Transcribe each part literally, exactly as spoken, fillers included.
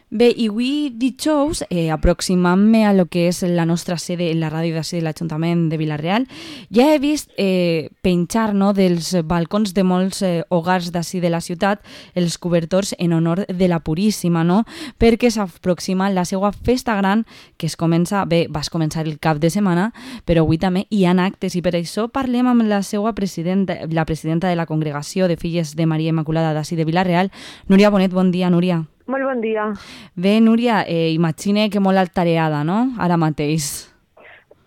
Bé, i avui dijous, eh, aproximant-me a lo que és la nostra sede, la ràdio d'ací de l'Ajuntament de Vila-real, ja he vist eh, penjar, no, dels balcons de molts eh, hogars d'ací de la ciutat els cobertors en honor de la Puríssima, no? Perquè s'aproxima la seva festa gran, que es comença, bé, vas començar el cap de setmana, però avui també hi ha actes i per això parlem amb la seva presidenta, la presidenta de la Congregació de Filles de Maria Immaculada d'ací de Vila-real, Núria Bonet. Bon dia, Núria. Molt bon dia. Bé, Núria, eh, imagine que molt altareada, no?, ara mateix.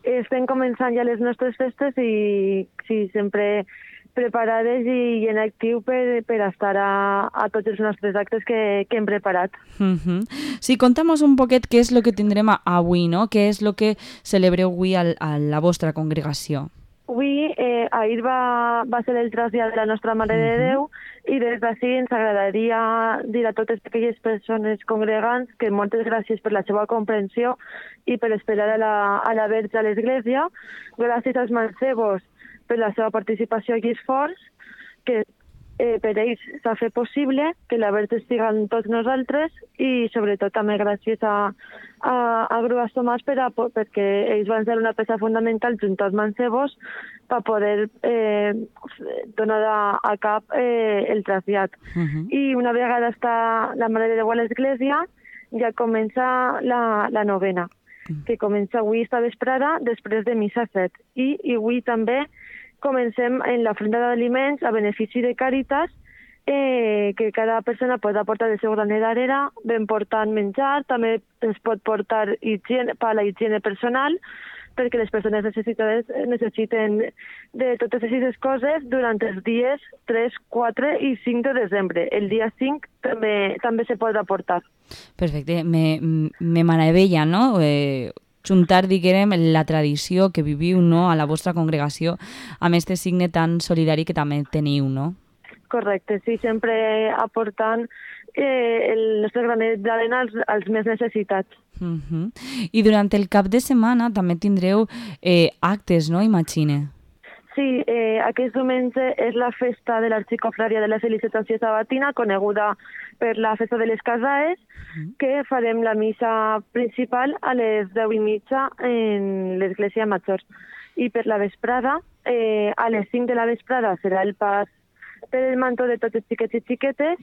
Estem començant ja les nostres festes i sí, sempre preparades i en actiu per, per estar a, a tots els nostres actes que, que hem preparat. Uh-huh. Sí, conta'm un poquet què és el que tindrem avui, no? Què és el que celebreu avui a, a la vostra congregació? Avui, eh, ahir va, va ser el trasllat de la nostra Mare de Déu i des d'ací ens agradaria dir a totes aquelles persones congregants que moltes gràcies per la seva comprensió i per esperar a la, a la Verge a l'Església. Gràcies als mancebos per la seva participació i esforç, que eh, per ells s'ha fet possible que la Verge estigui amb tots nosaltres i sobretot també gràcies a, a, a Grues Tomàs per a, perquè ells van ser una peça fundamental junt als mancebos per poder eh, donar a, a cap eh, el trasllat. Uh-huh. I una vegada està la Mare de Déu a l'Església ja comença la, la novena, uh-huh. que comença avui esta vesprada després de missa set. I, i avui també comencem en l'ofrenda d'aliments a benefici de Càritas, eh, que cada persona pot aportar el seu granet d'arrera, ben portant menjar, també es pot portar higiene, per a la higiene personal, perquè les persones necessitades necessiten de totes aquestes coses durant els dies tres, quatre i cinc de desembre. El dia cinc també, també se pot aportar. Perfecte, me, me meravella, no?, eh... juntar, diguem, la tradició que viviu, no?, a la vostra congregació amb aquest signe tan solidari que també teniu, no? Correcte, sí, sempre aportant eh, el nostre granet d'arena als, als més necessitats. Uh-huh. I durant el cap de setmana també tindreu eh, actes, no?, imagine. Sí, eh, aquest diumenge és la festa de l'Arxicofrària de la Felicitació Sabatina, coneguda per la festa de les Casaes, uh-huh. que farem la missa principal a les deu i mitja en l'Església Major. I per la vesprada, eh, a les cinc de la vesprada, serà el pas per el manto de tots els xiquets i xiquetes,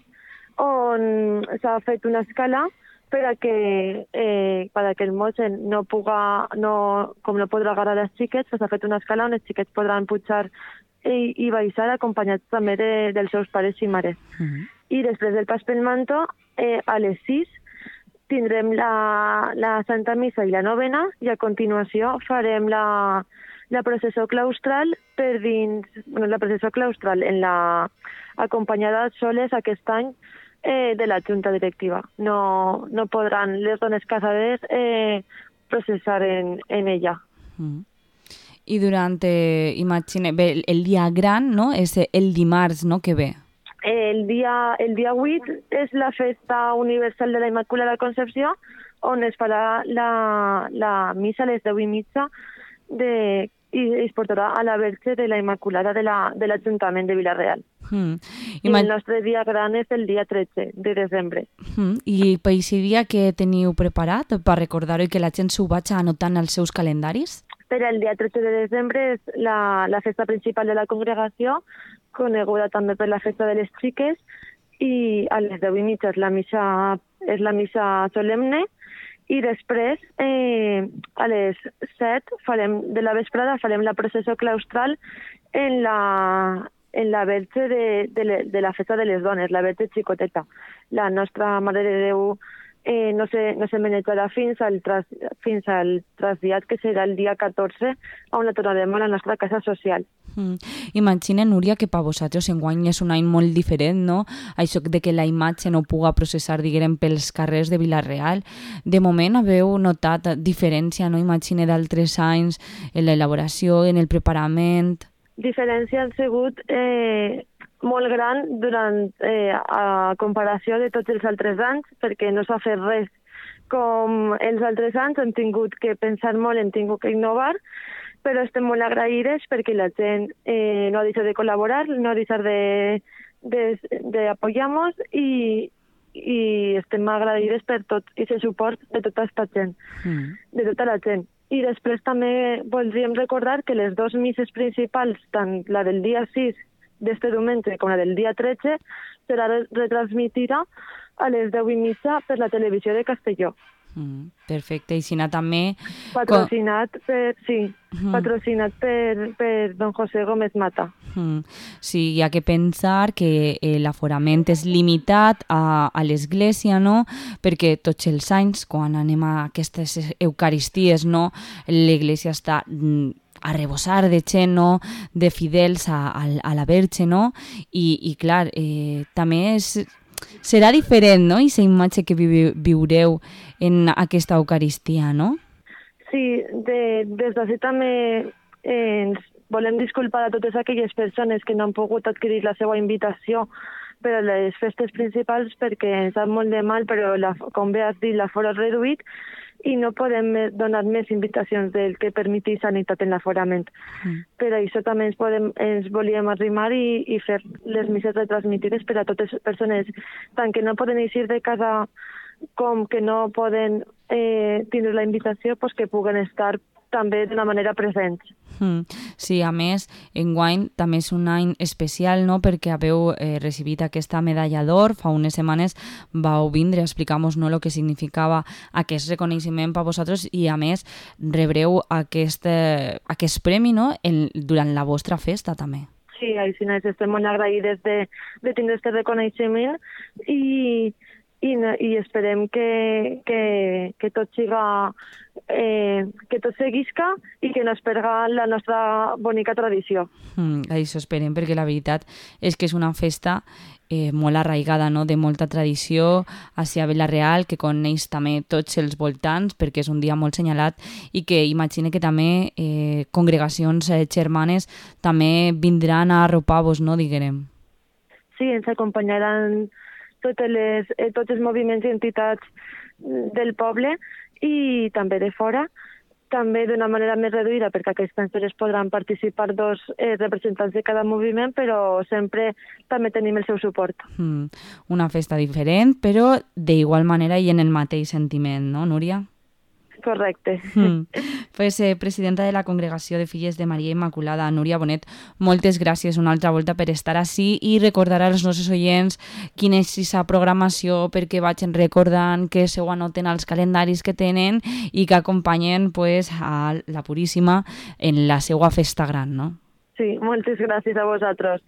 on s'ha fet una escala per a que, eh, per a que el mosse no puga, no, com no podrà agarrar els xiquets, s'ha fet una escala on els xiquets podran pujar i, i baixar acompanyats també de, dels seus pares i mares. Uh-huh. I després del pas pel manto, eh, a les sis tindrem la, la Santa Missa i la novena i a continuació farem la, la processó claustral per dins, bueno, la processó claustral en la acompanyada soles aquest any Eh, de la Junta Directiva. No, no podran les dones casades eh, processar en, en ella. Mm. I durant, eh, imagine, bé, el dia gran, no?, és el dimarts, no?, que ve. El dia, el dia vuit és la festa universal de la Immaculada Concepció, on es farà la, la missa a les deu i mitja de, i es portarà a la Verge de la Immaculada de l'Ajuntament la, de Vila-real. Mm. I, I el nostre dia gran és el dia tretze de desembre. Mm. I per aquest dia que teniu preparat per recordar-ho i que la gent s'ho vagi anotant als seus calendaris? Per el dia tretze de desembre és la, la festa principal de la congregació, coneguda també per la festa de les xiques, i a les deu i mitja és la missa, és la missa solemne, i després, eh, a les set farem, de la vesprada farem la processó claustral en la, en la Verge de, de, le, de la festa de les dones, la Verge Xicoteta. La nostra Mare de Déu eh, no se, no se manejarà fins al, tras, fins al trasllat, que serà el dia catorze, on la tornarem a la nostra casa social. Mm. Imagina, Núria, que per vosaltres enguany és un any molt diferent, no? Això de que la imatge no puga processar, diguem, pels carrers de Vila-real. De moment haveu notat diferència, no? Imagina, d'altres anys en l'elaboració, en el preparament. Diferència han sigut eh, molt gran durant, eh, a comparació de tots els altres anys, perquè no s'ha fet res com els altres anys, hem tingut que pensar molt, hem tingut que innovar, però estem molt agraïdes perquè la gent eh, no ha deixat de col·laborar, no ha deixat de, de, de apoyar-nos i, i estem agraïdes per tot aquest suport de tota aquesta gent, mm. de tota la gent. I després també voldríem recordar que les dues misses principals, tant la del dia sis d'este diumenge com la del dia tretze, serà retransmitida a les deu i mitja per la televisió de Castelló. Mm, perfecte, i si n'ha també... Patrocinat per, sí, mm. patrocinat per, per don José Gómez Mata. Mm. Sí, hi ha que pensar que eh, l'aforament és limitat a, a l'església, no? Perquè tots els anys, quan anem a aquestes eucaristies, no? L'església està... Mm, a rebossar de gent, no? De fidels a, a, a la Verge, no? I, i clar, eh, també és... serà diferent, no?, aquesta imatge que vi viureu en aquesta Eucaristia, no? Sí, de, des d'ací també eh, ens volem disculpar a totes aquelles persones que no han pogut adquirir la seva invitació per a les festes principals perquè ens sap molt de mal, però la, com bé has dit, l'aforo és reduït i no podem donar més invitacions del que permeti sanitat en l'aforament. Mm. Per això també ens, podem, ens volíem arrimar i, i fer les misses retransmitides per a totes les persones, tant que no poden eixir de casa com que no poden eh, tindre la invitació, pues que puguen estar també d'una manera presents. Mm. Sí, a més, enguany també és un any especial, no?, perquè haveu eh, recibit aquesta medalla d'or. Fa unes setmanes vau vindre a explicar-nos, no?, el que significava aquest reconeixement per vosaltres i, a més, rebreu aquest, eh, aquest premi, no?, en, durant la vostra festa, també. Sí, així estem molt agraïdes de, de tindre aquest reconeixement i, i, i esperem que, que, que tot siga... Eh, que tot seguisca i que no es perga la nostra bonica tradició. Mm, això esperem, perquè la veritat és que és una festa eh, molt arraigada, no?, de molta tradició hacia Vila-real, que coneix també tots els voltants, perquè és un dia molt senyalat i que imagine que també eh, congregacions eh, germanes també vindran a arropar-vos, no?, diguem. Sí, ens acompanyaran totes les, eh, tots els moviments i entitats del poble i també de fora, també d'una manera més reduïda, perquè aquestes persones podran participar dos eh, representants de cada moviment, però sempre també tenim el seu suport. Mm, una festa diferent, però d'igual manera i en el mateix sentiment, no, Núria? Correcte. Mm. Pues, eh, presidenta de la Congregació de Filles de Maria Immaculada, Núria Bonet, moltes gràcies una altra volta per estar ací i recordar als nostres oients quina és aquesta programació perquè vagin recordant que se ho anoten als calendaris que tenen i que acompanyen pues, a la Puríssima en la seva festa gran, no? Sí, moltes gràcies a vosaltres.